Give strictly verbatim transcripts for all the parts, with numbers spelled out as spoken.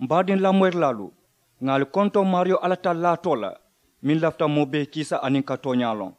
M baadiŋ lamoyirilaalu, ŋà ali kontoŋ maariyo alla tallaa too la, meŋ lafita moo bee kiisa aniŋ ka tooñaa loŋ.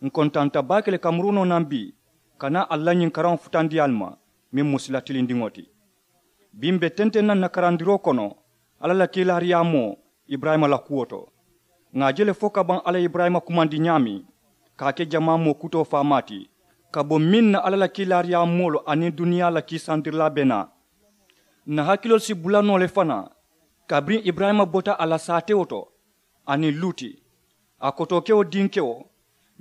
Ǹ kontanta baake le ka murunoo naŋ bii ka naa ali la ñiŋ karaŋo futandi ali ma, meŋ mu sila tilindiŋo ti. Bii m be tenteŋ na ǹ na karandiroo kono alla la kiilaariyaamoo iburayima la kuwo to. Ŋà a je le fo ka baŋ alla ye iburayima kumandi ñaameŋ ka a ke jamaa moo kutoo faamaa ti, ka bo meŋ na alla la kiilaariyaamoolu aniŋ duniyaa la kiisandirilaa be naa. Ǹ na hakiloolu si bula noo le fanaa, kabiriŋ iburayima bota a la saatewo to, aniŋ luuti, a kotookewo dinkewo,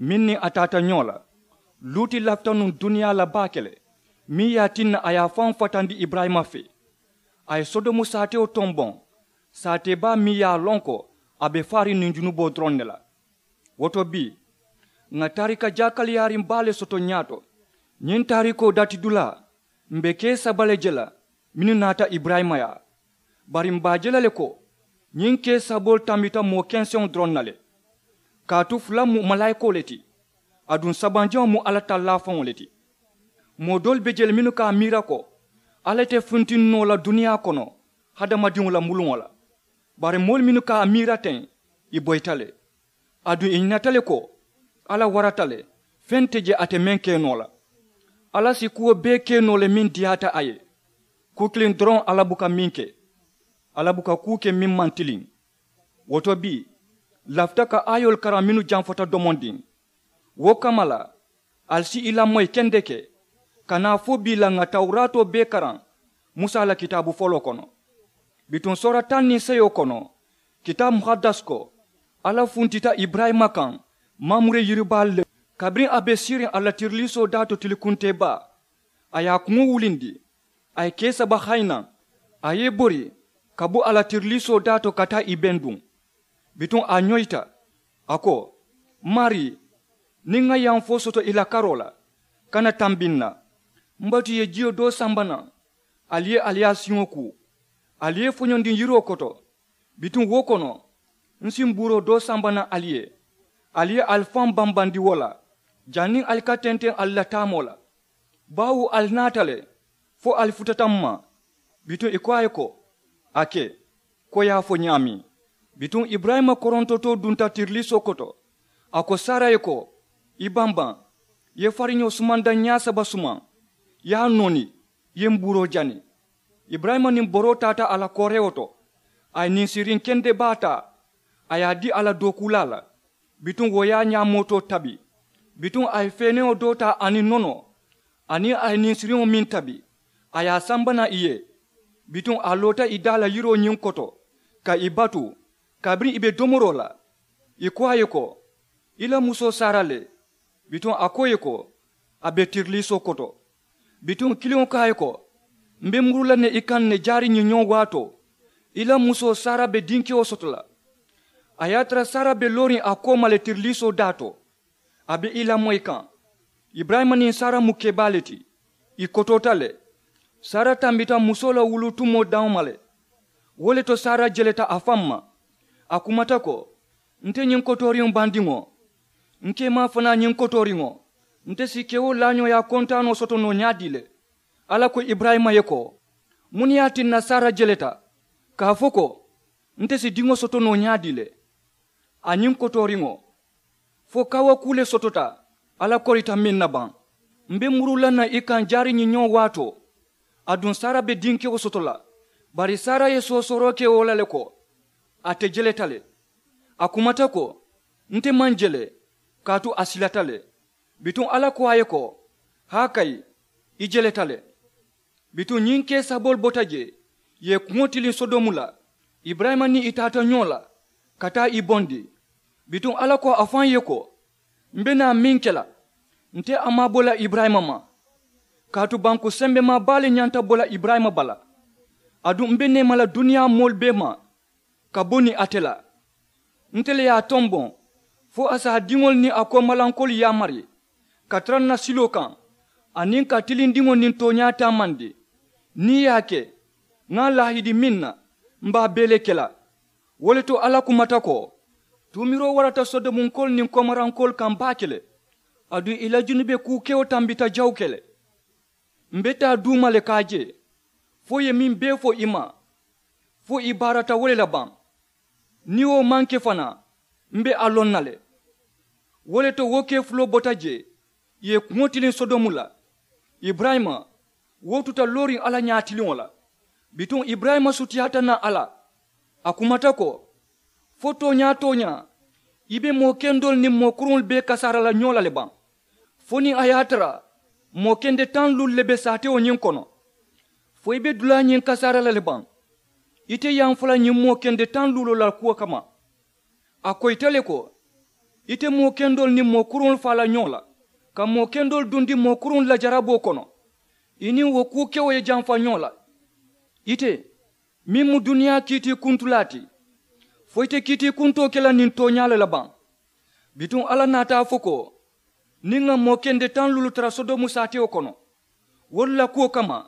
meŋ niŋ a taata ñoo la. Luuti lafita nuŋ duniyaa la baake le, meŋ ye a tinna a ye a faŋo fatandi iburayima fee. A ye sodomu saatewo tomboŋ, saatee baa meŋ ye a loŋ ko a be faariŋ niŋ junuboo doroŋ ne la. Wo to bii, ŋà taarika jaakaliyaariŋ baa le soto ñaato. Ñiŋ taarikoo datidulaa, m be kee saba le je la mennu naata iburayima yaa. Bari m be a je la le ko ñiŋ kee saboolu tambita moo kenseŋo doroŋ na le. Kaatu fula mu malaayikoo le ti, aduŋ sabanjaŋo mu alla tallaa faŋo le ti. Moo doolu be je le mennu ka a miira ko alla te funtiŋ noo la duniyaa kono hadamadiŋo la muluŋo la. Bari moolu mennu ka a miira teŋ, ì boyita le. Aduŋ ì ñinata le ko alla warata le, feŋ te je ate meŋ ke noo la. Alla si kuwo bee ke noo le meŋ diyaata a ye. Kuu kiliŋ doroŋ alla buka meŋ ke, alla buka kuu ke meŋ maŋ tiliŋ. Wo to bii, ǹ lafita ka aayoolu karaŋ mennu jamfata domondiŋ. Wo kamma la, ali si i lamoyi kendeke ka naa fo bii la ŋà tawuraatoo bee karaŋ musa la kitaabu foloo kono. Bituŋ soora taŋ niŋ seyo kono, kitaabu muhaddas ko alla funtita iburayima kaŋ mamure yiribaalu le. Kabiriŋ a be siiriŋ a la tiriliisoo daa to tilikuntee baa, a ye a kuŋo wulindi, a ye kee saba hayi naŋ, a ye i bori ka bo a la tiriliisoo daa to ka taa i benduŋ. Bituŋ a ñoyita, a ko, maarii, niŋ ŋa yanfoo soto i la karoo la, kana tambi n na. M batu ye jiyo doo samba naŋ, ali ye ali ye a siŋo kuu, ali ye foñondiŋ yiroo koto. Bituŋ wo kono, m si mbuuroo doo samba naŋ ali ye, ali ye ali faŋ bambandi wo la, janniŋ ali ka tenteŋ ali la taamoo la. Baawo ali naata le, fo ali futata m ma. Bituŋ ì ko a ye ko, a ke, ko ì ye a fo ñaameŋ. Bituŋ iburayima korontotoo dunta tiriliisoo koto. A ko sara ye ko, i bambaŋ, i ye fariñoo sumanda ñaa saba sumaŋ, i ye a nooni, i ye mbuuroo jani. Iburayima niŋ boroo taata a la koorewo to, a ye ninsiriŋ kende baa taa, a ye a dii a la dookuulaa la. Bituŋ wo ye a ñaamootoo tabi. Bituŋ a ye feenewo doo taa aniŋ nonoo, aniŋ a ye ninsiriŋo meŋ tabi, a ye a samba naŋ ì ye. Bituŋ a loota ì daa la yiroo ñiŋ koto, ka ì batu, kabiriŋ ì be domoroo la. Ì ko a ye ko, i la musoo sara le? Bituŋ a ko ì ye ko, a be tiriliisoo koto. Bituŋ kiliŋo ko a ye ko, m be muru la ne i kaŋ ne jaari ñiŋ ñoŋ waatoo, i la musoo sara be dinkewo soto la. A ye a tara sara be looriŋ a kooma le tiriliisoo daa to, a be i lamoyi kaŋ. Iburayima niŋ sara mu kebaa le ti, ì kotoota le. Sara tambita musoo la wuluu tumoo daŋo ma le. Wo le to sara jeleta a faŋ ma, a kumata ko, nte ñiŋ kotooriŋo bandiŋo, n keemaa fanaa ñiŋ kotooriŋo, nte si kewo laañooyaa kontaanoo soto noo ñaadii le? Alla ko iburayima ye ko, muŋ ne ye a tinna sara jeleta ka a fo ko, nte si diŋo soto noo ñaadii le? A ñiŋ kotooriŋo, fo kawakuu le sotota alla korita meŋ na baŋ? M be muruu la naŋ i kaŋ jaari ñiŋ ñoŋ waatoo, aduŋ sara be dinkewo soto la. Bari sara ye soosooroo ke wo la le ko, a te jeleta le. A kumata ko, nte maŋ jele, kaatu a silata le. Bituŋ alla ko a ye ko, haakayi, i jeleta le. Bituŋ ñiŋ kee saboolu bota jee, ì ye kuŋo tiliŋ sodomu la. Iburayima niŋ i taata ñoo la ka taa i bondi. Bituŋ alla ko a faŋ ye ko, m be naa meŋ ke la, nte a maŋ a bo la iburayima ma. Kaatu banku sembemaa baa le ñanta bo la iburayima bala. Aduŋ m be neema la duniyaa moolu bee ma ka bo niŋ ate la. Nte le ye a tomboŋ fo a si a diŋolu niŋ a koomalankoolu yaamari ka tara n na siloo kaŋ, aniŋ ka tilindiŋo niŋ tooñaa taamandi. Niŋ ì ye a ke, ŋa a laahidi meŋ na, m be a bee le ke la. Wo le to alla kumata ko, tuumiroo warata sodomunkoolu niŋ koomarankoolu kaŋ baake le. Aduŋ ì la junube kuu kewo tambita jawuke le. M be taa duuma le ka a je, fo ì ye meŋ bee fo i ma. fo i baarata wo le la baŋ. Niŋ wo maŋ ke fanaa, m be a loŋ na le. Wo le to wo kee fuloo bota jee, ì ye kuŋo tiliŋ sodomu la. Iburayima, wo tuta looriŋ alla ñaatiliŋo la. Bituŋ iburayima sutiyaata naŋ a la. A kumata ko, fo tooñaa tooñaa, i be moo kendoolu niŋ moo kuruŋolu bee kasaara la ñoo la le baŋ? Fo niŋ a ye a tara moo kende taŋ luulu le be saatewo ñiŋ kono, fo i be dulaa ñiŋ kasaara la le baŋ? Ite ye a fo la ñiŋ moo kende taŋ luuloo la kuwo kamma. A koyita le ko, ite moo kendoolu niŋ moo kuruŋolu faa la ñoo la, ka moo kendoolu dundi moo kuruŋolu la jaraboo kono, i niŋ wo kuu kewo ye jamfa ñoo la. Ite, meŋ mu duniyaa kiitiikuntulaa ti, fo ite kiitiikuntoo ke la niŋ tooñaa le la baŋ? Bituŋ alla naata a fo ko, niŋ ŋa moo kende taŋ luulu tara sodomu saatewo kono, wolu la kuwo kamma,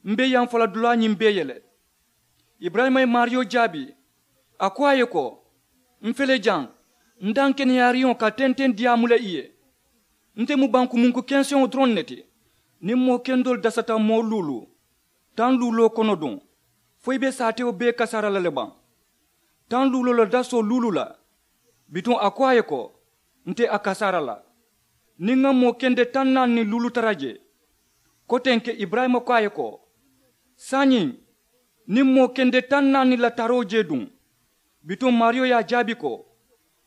m be yaŋ fo la dulaa ñiŋ bee ye le. Iburayima ye maariyo jaabi, a ko a ye ko, m fele jaŋ, n daŋ keneyaariŋo ka tenteŋ diyaamu le i ye. Nte mu bankumuŋ ku kenseŋo doroŋ ne ti. Niŋ moo kendoolu dasata moo luulu taŋ luuloo kono duŋ, fo i be saatewo bee kasaara la le baŋ? Taŋ luuloo la dasoo luulu la. Bituŋ a ko a ye ko, nte a kasaara la, niŋ ŋa moo kende taŋ naani niŋ luulu tara jee. Kotenke iburayima ko a ye ko, saayiŋ, niŋ moo kende taŋ naani la taroo jee duŋ? Bituŋ maariyo ye a jaabi ko,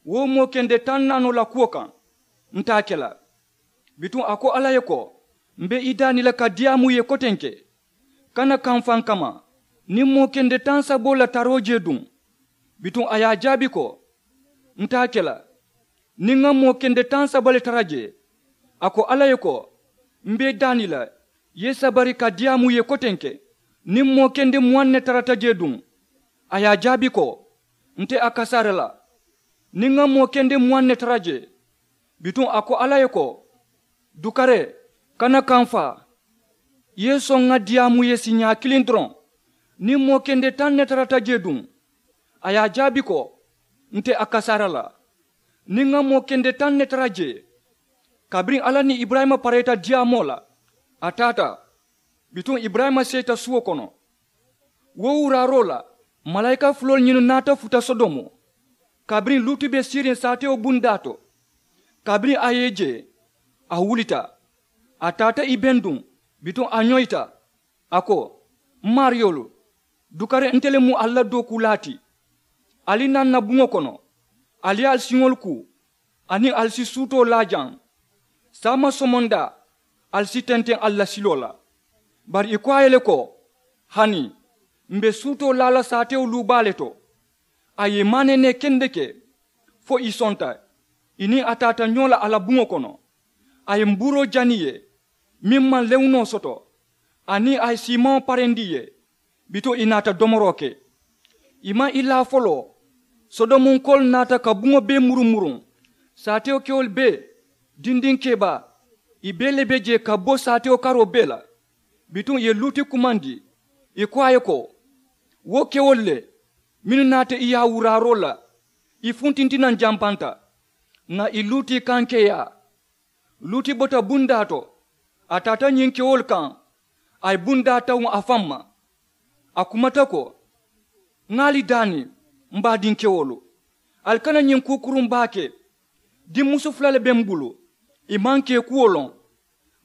wo moo kende taŋ naanoo la kuwo kaŋ, nte a ke la. Bituŋ a ko alla ye ko, m be i daani la ka diyaamu i ye kotenke, kana kamfaŋ kamma, niŋ moo kende taŋ saboo la taroo jee duŋ? Bituŋ a ye a jaabi ko, nte a ke la. Niŋ ŋa moo kende taŋ saba le tara jee. A ko alla ye ko, m be i daani la, i ye sabari ka diyaamu i ye kotenke, niŋ moo kende muwaŋ ne tarata jee duŋ? A ye a jaabi ko, nte a kasaara la, niŋ ŋa moo kende muwaŋ ne tara jee. Bituŋ a ko alla ye ko, dukare, kana kamfaa, i ye soŋ ŋa diyaamu i ye siiñaa kiliŋ doroŋ, niŋ moo kende taŋ ne tarata jee duŋ? A ye a jaabi ko, nte a kasaara la, niŋ ŋa moo kende taŋ ne tara jee. Kabiriŋ alla niŋ iburayima pareeta diyaamoo la, a taata. Bituŋ iburayima seeta suwo kono. Wo wuraaroo la, malaayika fuloolu ñinnu naata futa sodomu, kabiriŋ luutu be siiriŋ saatewo bundaa to. Kabiriŋ a ye i je, a wulita, a taata i benduŋ, bituŋ a ñoyita. A ko, m maariyoolu, dukare nte le mu ali la dookuulaa ti. Ali naa n na buŋo kono, ali ye ali siŋolu kuu, aniŋ ali si suutoo laa jaŋ. Saama somondaa, ali si tenteŋ ali la siloo la. Bari ì ko a ye le ko, hani, m be suutoo laa la saatewo luu baa le to. A ye i maaneenee kendeke, fo ì sonta, ì niŋ a taata ñoo la a la buŋo kono. A ye mbuuroo jani ì ye, meŋ maŋ lewunoo soto, aniŋ a ye siimaŋo parendi ì ye, bituŋ ì naata domoroo ke. Ì maŋ ì laa foloo, sodomunkoolu naata ka buŋo bee murumuruŋ. Saatewo kewolu bee, dindiŋ kebaa, ì bee le be jee ka bo saatewo karoo bee la. Bituŋ ì ye luuti kumandi, ì ko a ye ko, wo kewolu le, mennu naata ì yaa wuraaroo la, ì funtinti naŋ janpanta, ŋà ì luuti kaŋ keeyaa. Luuti bota bundaa to, a taata ñiŋ kewolu kaŋ, a ye bundaa tawuŋ a faŋ ma. A kumata ko, ŋà ali daani, m baadiŋ kewolu, ali kana ñiŋ kuu kuruŋ baa ke. Dimmusu fula le be m bulu, ì maŋ kee kuwo loŋ.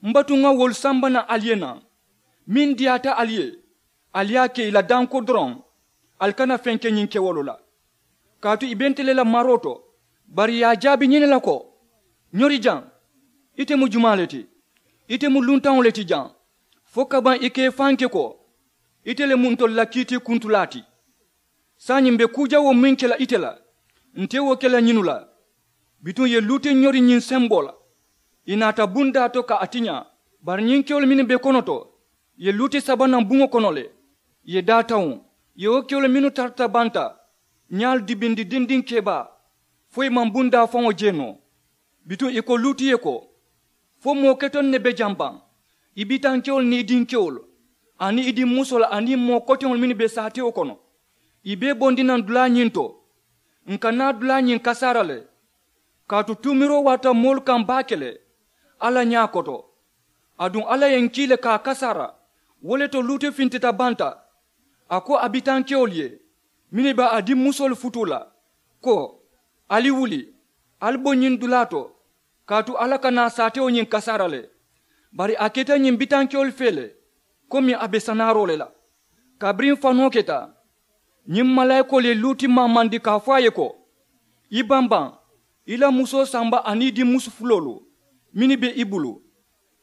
M batu ŋà wolu samba naŋ ali ye naŋ, meŋ diyaata ali ye, ali ye a ke ì la danko doroŋ. Ali kana feŋ ke ñiŋ kewolu la, kaatu ì be nte le la maroo to. Bari ì ye a jaabi ñiŋ ne la ko, ñori jaŋ, ite mu jumaa le ti? Ite mu luntaŋo le ti jaŋ, fo kabaŋ ì ka i faŋ ke ko, ite le mu ntolu la kiitiikuntulaa ti. Saayiŋ m be kuu jawoo meŋ ke la ite la, nte wo ke la ñinnu la. Bituŋ ì ye luuti ñori ñiŋ semboo la, ì naata bundaa to ka a tiñaa. Bari ñiŋ kewolu mennu be kono to, ì ye luuti saba naŋ buŋo kono le, ì ye daa tawuŋ. Ì ye wo kewolu mennu tarata banta, ñaalu dibindi dindiŋ kebaa, fo ì maŋ bundaa faŋo je noo. Bituŋ ì ko luuti ye ko, fo moo ketoŋ ne be jaŋ baŋ, i bitankewolu niŋ i dinkewolu, aniŋ i dimmusoolu aniŋ moo koteŋolu mennu be saatewo kono? I bee bondi naŋ dulaa ñiŋ to. N ka naa dulaa ñiŋ kasaara le, kaatu tuumiroo warata moolu kaŋ baake le alla ñaa koto. Aduŋ alla ye n kii le ka a kasaara. Wo le to luuti fintita banta, A ko a bitankewolu ye mennu be a dimmusoolu futuu la, ko, ali wuli, ali bo ñiŋ dulaa to, kaatu alla ka naa saatewo ñiŋ kasaara le. Bari a keta ñiŋ bitankewolu fee le, komi a be sanaaroo le la. Kabiriŋ fanoo keta, ñiŋ malaayikoolu ye luuti maamandi ka a fo a ye ko, i bambaŋ, i la musoo samba aniŋ i dimmusu fuloolu mennu be i bulu.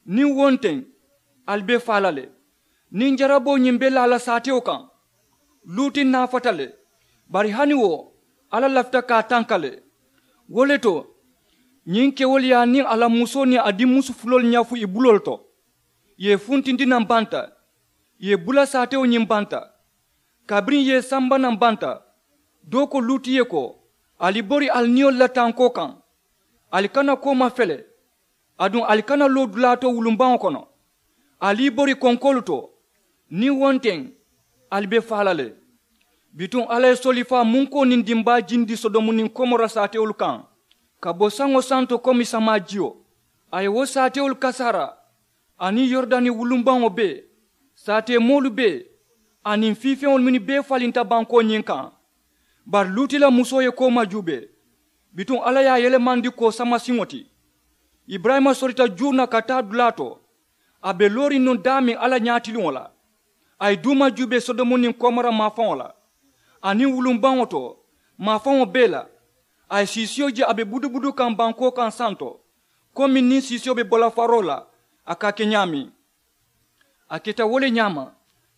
Niŋ wo nteŋ, ali be faa la le. Niŋ jaraboo ñiŋ be laa la saatewo kaŋ, luuti naafata le. Bari hani wo, alla lafita ka a tanka le. Wo le to, ñiŋ kewolu ye a niŋ a la musoo niŋ a dimmusu fuloolu ñafu i buloolu to, i ye i funtindi naŋ banta, i ye i bula saatewo ñiŋ banta. Kabiriŋ i ye i samba naŋ banta, doo ko luuti ye ko, ali bori ali niyolu la tankoo kaŋ, ali kana kooma fele, aduŋ ali kana loo dulaa to wulumbaŋo kono. Ali i bori konkoolu to, niŋ wo nteŋ, ali be faa la le. Bituŋ alla ye solifaa munkoo niŋ dimbaa jindi sodomu niŋ komora saatewolu kaŋ, ka bo saŋo santo komi samaa jiyo. A ye wo saatewolu kasaara, aniŋ yoridani wulumbaŋo bee, saateemoolu bee, aniŋ fiifeŋolu mennu bee falinta bankoo ñiŋ kaŋ. Bari luuti la musoo ye kooma juubee, bituŋ alla ye a yelemandi koo samasiŋo ti. Iburayima sorita juu na ka taa dulaa to, a be looriŋ nuŋ daameŋ alla ñaatiliŋo la. A ye duuma juubee sodomu niŋ komora maafaŋo la, aniŋ wulumbaŋo to, maafaŋo bee la. A ye siisiyo je a be budubudu kaŋ bankoo kaŋ santo, komi niŋ siisiyo be bo la faroo la, a ka a ke ñaameŋ. A keta wo le ñaama,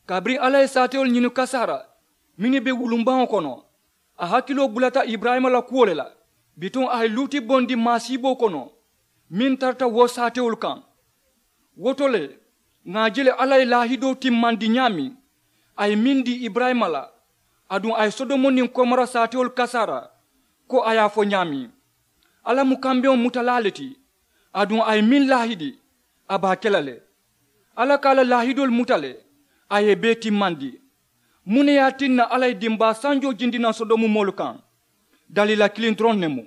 kabiriŋ alla ye saatewolu ñini kasaara mennu be wulumbaŋo kono, a hakiloo bulata iburayima la kuwo le la. Bituŋ a ye luuti bondi maasiiboo kono, meŋ tarata wo saatewolu kaŋ. Wo to le, ŋà a je le alla ye laahidoo timmandi ñaameŋ a ye meŋ dii iburayima la, aduŋ a ye sodomu niŋ komora saatewolu kasaara, ko a ye a fo ñaameŋ. Alla mu kambeŋo mutalaa le ti, aduŋ a ye meŋ laahidi, a be a ke la le. Alla ka a la laahidoolu muta le, a ye i bee timmandi. Muŋ ne ye a tinna alla ye dimbaa sanjoo jindi naŋ sodomu moolu kaŋ? Daliila kiliŋ doroŋ ne mu.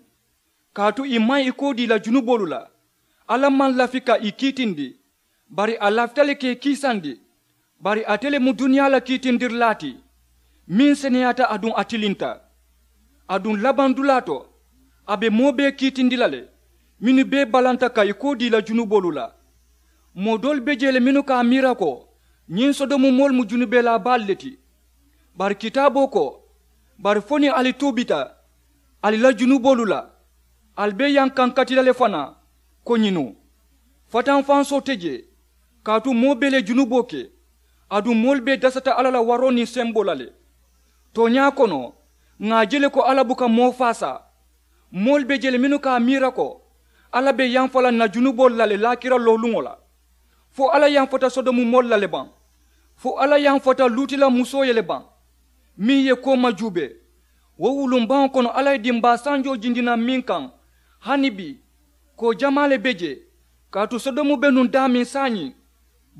Kaatu ì maŋ ì koo dii la junuboolu la. Alla maŋ lafi ka ì kiitindi, bari a lafita le ka ì kiisandi. Bari ate le mu duniyaa la kiitindirilaa ti, meŋ seneyaata aduŋ a tilinta. Aduŋ labaŋ dulaa to, a be moo bee kiitindi la le, mennu bee balanta ka ì koo dii la junuboolu la. Moo doolu be jee le mennu ka a miira ko, ñiŋ sodomu moolu mu junubelaa baalu le ti. Bari kitaaboo ko, bari fo niŋ ali tuubita ali la junuboolu la, ali be yankankati la le fanaa, ko ñiŋ noo, fatanfansoo te jee. Kaatu moo bee le junuboo ke, aduŋ moolu bee dasata alla la waroo niŋ semboo la le. Tooñaa kono, ŋà a je le ko alla buka moo faasaa. Moolu be je le mennu ka a miira ko, alla be yamfa la ǹ na junuboolu la le laakira looluŋo la. Fo alla yamfata sodomu moolu la le baŋ? Fo alla yamfata luuti la musoo ye le baŋ, meŋ ye kooma juubee? Wo wulumbaŋo kono alla ye dimbaa sanjoo jindi naŋ meŋ kaŋ, hani bii, koo jamaa le be jee. Kaatu sodomu be nuŋ daameŋ saayiŋ,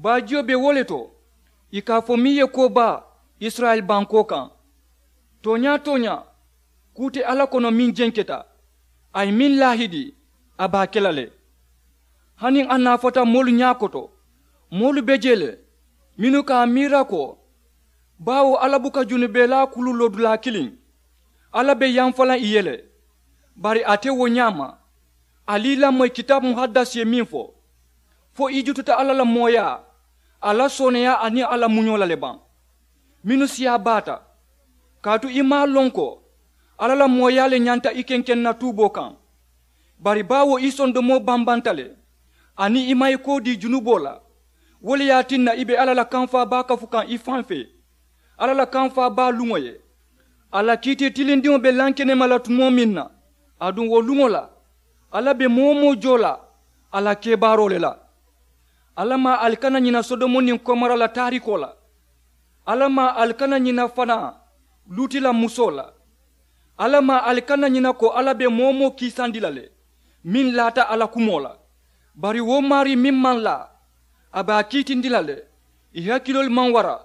baajiyo be wo le to, ì ka a fo meŋ ye koo baa isirayila bankoo kaŋ. Tooñaa tooñaa, kuu te alla kono meŋ jenketa, a ye meŋ laahidi, a be a ke la le. Hani a naafata moolu ñaakoto, moolu be jee le mennu ka a miira ko, baawo alla buka junubelaa kulu loo dulaa kiliŋ, alla be yamfa la ì ye le. Bari a te wo ñaama. Ali i lamoyi kitaabu muhaddasi ye meŋ fo, fo i jututa alla la mooyaa, a la sooneeyaa aniŋ a la muñoo la le baŋ? Mennu siyaa baata, kaatu i maŋ a loŋ ko, alla la mooyaa le ñanta i kenkeŋ na tuuboo kaŋ. Bari baawo i sondomoo bambanta le, aniŋ i maŋ i koo dii junuboo la. Wo le ye a tinna i be alla la kamfaa baa kafu kaŋ i faŋ fee, alla la kamfaa baa luŋo ye. A la kiitee tilindiŋo be lankenema la tumoo meŋ na, aduŋ wo luŋo la, alla be moo-wo-moo joo la a la kebaaroo le la. Alla maŋ ali kana ñina sodomo niŋ komora la taarikoo la. Alla maŋ ali kana ñina fanaa luuti la musoo la. Alla maŋ ali kana ñina ko alla be moo-wo-moo kiisandi la le, meŋ laata a la kumoo la. Bari wo maarii meŋ maŋ laa, a be a kiitindi la le. Ì hakiloolu maŋ wara,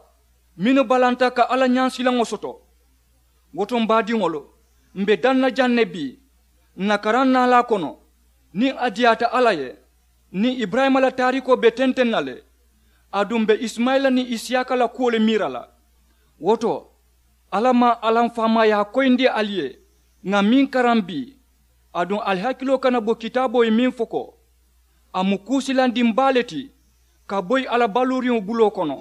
mennu balanta ka alla ñaansilaŋo soto. Wo to m baadiŋolu, m be daŋ na jaŋ ne bii, n na karaŋ naalaa kono, niŋ a diyaata alla ye, niŋ iburayima la taarikoo be tenteŋ na le, aduŋ m be isimayila niŋ isiyaaka la kuwo le miira la. Wo to, alla maŋ alla m faamaayaa koyindi ali ye ŋà meŋ karaŋ bii. Aduŋ ali hakiloo kana bo kitaaboo ye meŋ fo ko, a mu kuu silandiŋ baa le ti ka boyi alla baluuriŋo buloo kono.